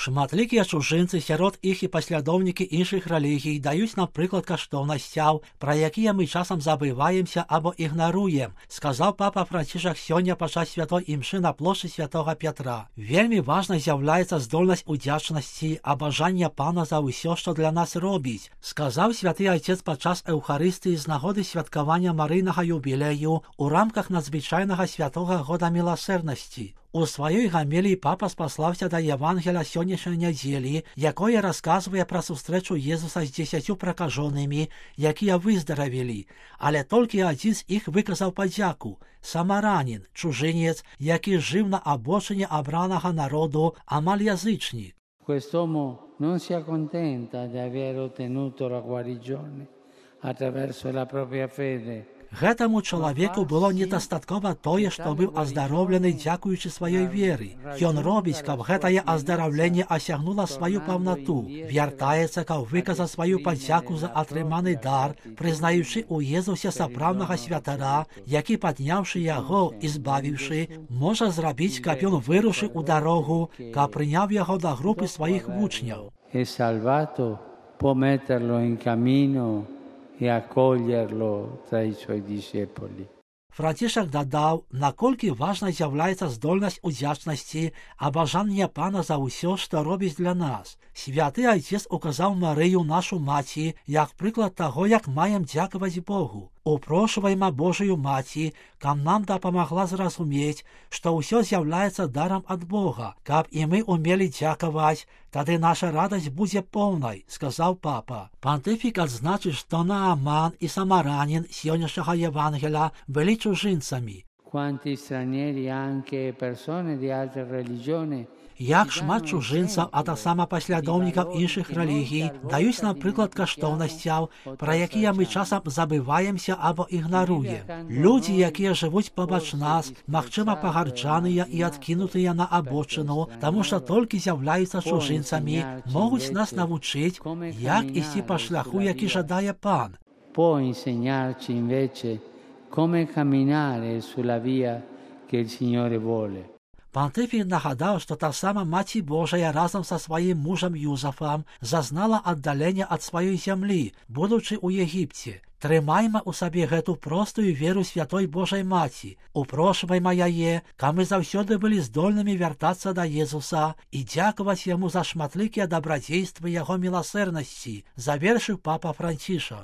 Шматлікія чужынцы сярод іх і паслядоўнікі іншых рэлігій даюць нам прыклад каштоўнасцяў, пра якія мы часам забываемся або ігнаруем, сказаў папа Францішак сёння падчас святой імшы на плошчы святога Пятра. Вельмі важнай з'яўляецца здольнасць удзячнасці, абажання Пана за ўсё, што для нас робіць, сказаў святы айцец падчас эўхарыстыі з нагоды святкавання марыйнага юбілею ў рамках надзвычайнага святога года міласэрнасці. У сваёй гамеліі папа спаслаўся да Евангеля сённяшняй нядзелі, якое расказвае пра сустрэчу Езуса з 10 пракажонымі, якія выздаравелі, але толькі адзін з іх выказаў падзяку – самаранін, чужынец, які жыў на абочыне абранага народу, амаль язычнік. Quest'uomo non si accontenta di aver ottenuto la guarigione attraverso la propria fede. Гэтаму чалавеку было недастаткова тое, што быў аздароўлены дзякуючы сваёй веры. Ён робіць, каб гэтае аздараўленне асягнула сваю паўнату, вяртаецца, каб выказаць сваю падзяку за атрыманы дар, прызнаючы ў Езусе сапраўднага святара, які, падняўшы яго і збавіўшы, можа зрабіць, каб ён вырушыў у дарогу, каб прыняў яго да групы сваіх вучняў. E salvato può metterlo in cammino e accoglierlo tra i suoi discepoli. Францішак дадаў, наколькі важнай з'яўляецца здольнасць удзячнасці, абажання Пана за ўсё, што робіць для нас. Святы айцец указаў Марыю, нашу маці, як прыклад таго, як маем дзякаваць Богу. Упрошвайма Божую маці, каб нам дапамагла зразумець, што ўсё з'яўляецца дарам ад Бога, каб і мы умелі дзякаваць, тады наша радасць будзе поўнай, сказаў папа. Пантыфік адзначыць, што Нааман і самаранін сённяшняга Евангеля былі чужынцамі. Quanti stranieri, anche persone di altre religioni, Як шмат чужынцаў, а таксама паслядоўнікаў іншых рэлігій даюць нам прыклад каштоўнасцяў, пра якія мы часам забываемся або ігнаруем. Людзі, якія жывуць побач нас, магчыма, пагарджаныя і адкінутыя на абочыну, таму што толькі з'яўляюцца чужынцамі, могуць нас навучыць, як ісці па шляху, які жадае Пан. può insegnarci invece come camminare sulla via che il Signore vuole. Пантыфік нагадаў, што таксама Маці Божая разам са сваім мужам Юзафам зазнала аддалення ад сваёй зямлі, будучы ў Егіпце. Трымайма ў сабе гэту простую веру святой Божай Маці, упрошвайма яе, каб мы заўсёды былі здольнымі вяртацца да Езуса і дзякаваць яму за шматлікія дабрадзействы яго міласэрнасці, завершыў папа Францішак.